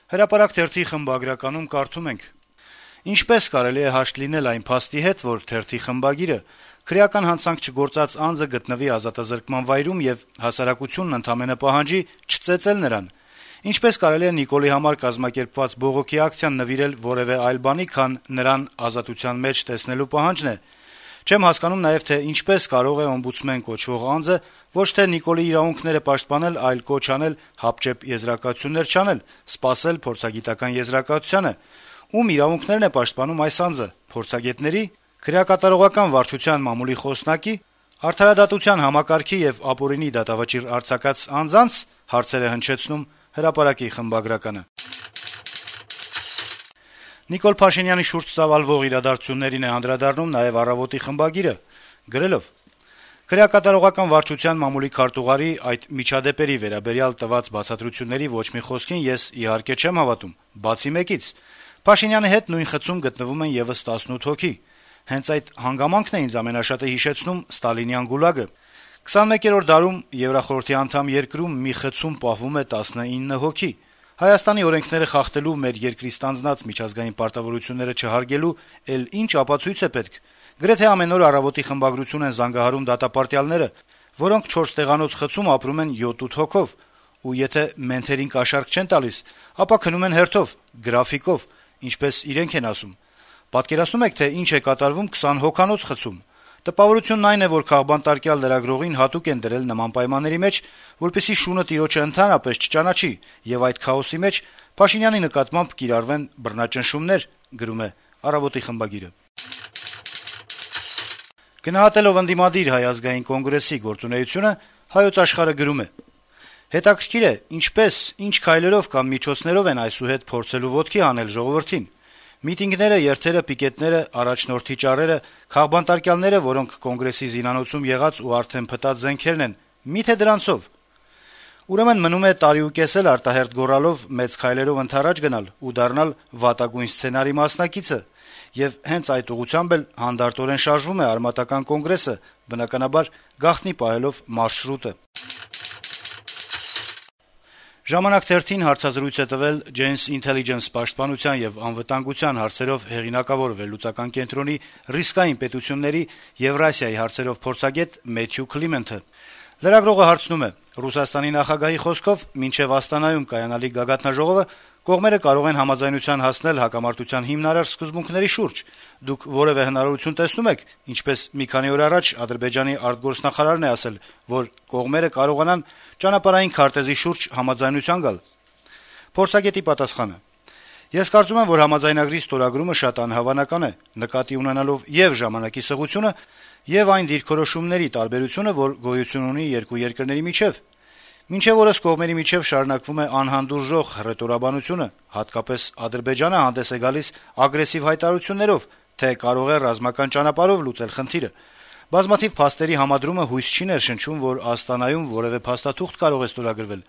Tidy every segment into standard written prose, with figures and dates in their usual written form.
Հրապարակ թերթի խմբագրականում կարդում ենք. - «Ինչպես կարելի է հաշտ լինել այն փաստի հետ, որ թերթի խմբագիրը քրեական հանցանք չգործած անձը գտնվի ազատազրկման վայրում եւ հասարակությունն ընդամենը պահանջի չծեծել նրան: Ինչպես կարելի է Նիկոլի համար կազմակերպված բողոքի ակցիան նվիրել որեւէ այլ բանի, քան նրան ազատության մեջ տեսնելու պահանջն է: Չեմ հասկանում նաեւ, թե ինչպես կարող է օմբուդսմեն կոչվող անձը ոչ թե Նիկոլի իրավունքները պաշտպանել, այլ կոչ անել հապճեպ եզրակացություններ չանել, սպասել փորձագիտական եզրակացությանը: Ում իրավունքներն է պաշտպանում այս անձը՝ փորձագետների, քրեակատարողական վարչության մամուլի խոսնակի, արդարադատության համակարգի եւ ապօրինի դատավճիռ արձակած անձանց»: Հարցեր է հնչեցնում «Հրապարակ»-ի խմբագրականը: Նիկոլ Փաշինյանի շուրջ ծավալվող իրադարձություններին է անդրադառնում նաեւ «Առավոտ»-ի խմբագիրը, գրելով. - «Քրեակատարողական վարչության մամուլի քարտուղարի այդ միջադեպերի վերաբերյալ տված բացատրությունների ոչ մի խոսքին ես, իհարկե, չեմ հավատում, բացի մեկից. Փաշինյանի հետ նույն խցում գտնվում են եւս 18 հոգի: Հենց այդ հանգամանքն է ինձ ամենաշատը հիշեցնում ստալինյան գուլագը: 21-րդ դարում Եվրախորհրդի անդամ երկրում մի խցում պահվում է 19 հոգի: Հայաստանի օրենքները խախտելու, մեր երկրի ստանձնած միջազգային պարտավորությունները չհարգելու էլ ինչ ապացույց է պետք: Գրեթե ամեն օր «Առավոտ»-ի խմբագրություն են զանգահարում դատապարտյալները, որոնք 4 տեղանոց խցում ապրում են 7-8 հոգով: Ու եթե մենթերին կաշառք չեն տալիս, ապա քնում են հերթով, գրաֆիկով, ինչպես իրենք են ասում: Պատկերացնո՞ւմ եք, թե ինչ է կատարվում 20 հոգանոց խցում: Տպավորությունն այն է, որ քաղբանտարկյալ լրագրողին հատուկ են դրել նման պայմանների մեջ, որպեսզի շունը տիրոջը ընդհանրապես չճանաչի, եւ այդ քաոսի մեջ Փաշինյանի նկատմամբ կիրառվեն բռնաճնշումներ»: Գնահատելով ընդդիմադիր Հայ ազգային կոնգրեսի գործունեությունը, «Հայոց Աշխարհ»-ը գրում է. - «Հետաքրքիր է, ինչպես, ինչ քայլերով կամ միջոցներով են այսուհետ փորձելու ոտքի հանել ժողովրդին: Միտինգները, երթերը, պիկետները, առաջնորդի ճառերը, քաղբանտարկյալները, որոնք Կոնգրեսի զինանոցում եղած ու արդեն փտած զենքերն են, մի՞թե դրանցով: Ուրեմն մնում է տարիուկես էլ արտահերթ գոռալով, մեծ քայլերով ընդառաջ գնալ ու դառնալ վատագույն սցենարի մասնակիցը: Եվ հենց այդ ուղղությամբ էլ հանդարտորեն շարժվում է արմատական Կոնգրեսը, բնականաբար, գաղտնի պահելով մարշրուտը»: «Ժամանակ» թերթին հարցազրույց է տվել Janes Intelligence պաշտպանության եւ անվտանգության հարցերով հեղինակավոր վերլուծական կենտրոնի ռիսկային պետությունների Եվրասիայի հարցերով փորձագետ Մեթյու Քլիմենթը: Լրագրողը հարցնում է. - «Ռուսաստանի նախագահի խոսքով մինչեւ Աստանայում կայանալիք գագաթնաժողովը կողմերը կարող են համաձայնության հասնել հակամարտության հիմնարար սկզբունքների շուրջ: Դուք որեւէ հնարավորություն տեսնո՞ւմ եք, ինչպես մի քանի օր առաջ Ադրբեջանի արտգործնախարարն է ասել, որ կողմերը կարողանան ճանապարհային քարտեզի շուրջ համաձայնության գալ»: Փորձագետի պատասխանը. - «Ես կարծում եմ, որ համաձայնագրի ստորագրումը շատ անհավանական է, նկատի ունենալով ե'ւ ժամանակի սղությունը, ե'ւ այն դիրքորոշումների տարբերությունը, որ գոյություն ունի երկու երկրների միջեւ: Մինչեւ օրս կողմերի միջեւ շարունակվում է անհանդուրժող հռետորաբանությունը, հատկապես Ադրբեջանը հանդես է գալիս ագրեսիվ հայտարարություններով, թե կարող է ռազմական ճանապարհով լուծել խնդիրը: Բազմաթիվ փաստերի համադրումը հույս չի ներշնչում, որ Աստանայում որեւէ փաստաթուղթ կարող է ստորագրվել: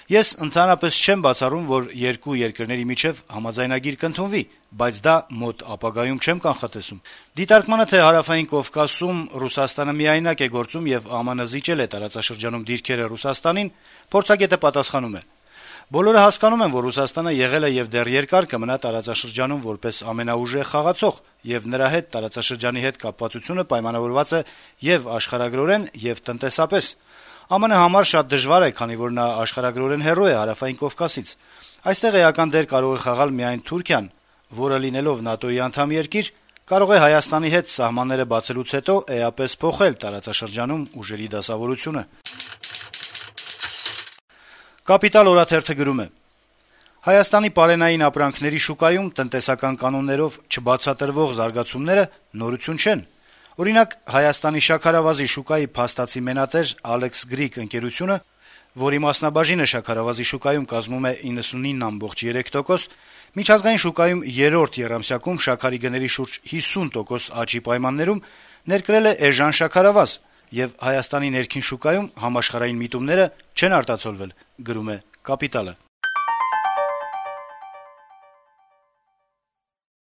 Ես ընդհանրապես չեմ բացառում, որ երկու երկրների միջեւ համաձայնագիր կընդունվի, բայց դա մոտ ապագայում չեմ կանխատեսում»: Դիտարկմանը, թե Հարավային Կովկասում Ռուսաստանը միայնակ է գործում եւ ԱՄՆ-ը զիջել է տարածաշրջանում դիրքերը Ռուսաստանին, փորձագետը պատասխանում է. - «Բոլորը հասկանում են, որ Ռուսաստանը եղել է եւ դեռ երկար կմնա տարածաշրջանում որպես ամենաուժեղ խաղացող, եւ նրա հետ տարածաշրջանի հետ կապվածությունը պայմանավորված է եւ աշխարհագրորեն, եւ տնտեսապես: ԱՄՆ համար շատ դժվար է, քանի որ նա աշխարհագրորեն հեռու է Հարավային Կովկասից: Այստեղ էական դեր կարող է խաղալ միայն Թուրքիան, որը, լինելով ՆԱՏՕ-ի անդամ երկիր, կարող է Հայաստանի հետ սահմանները բացելուց հետո էապես փոխել տարածաշրջանում ուժերի դասավորությունը»: «Կապիտալ» օրաթերթը գրում է. - «Հայաստանի պարենային ապրանքների շուկայում տնտեսական կանոններով չբացատրվող զարգացումները նորություն չեն: Օրինակ, Հայաստանի շաքարավազի շուկայի փաստացի մենատեր «Ալեքս Գրիկ» ընկերությունը, որի մասնաբաժինը շաքարավազի շուկայում կազմում է 99.3%, միջազգային շուկայում երրորդ եռամսյակում շաքարի գների շուրջ 50% աճի պայմաններում ներկրել է էժան շաքարավազ, եւ Հայաստանի ներքին շուկայում համաշխարհային միտումները չեն արտացոլվել»: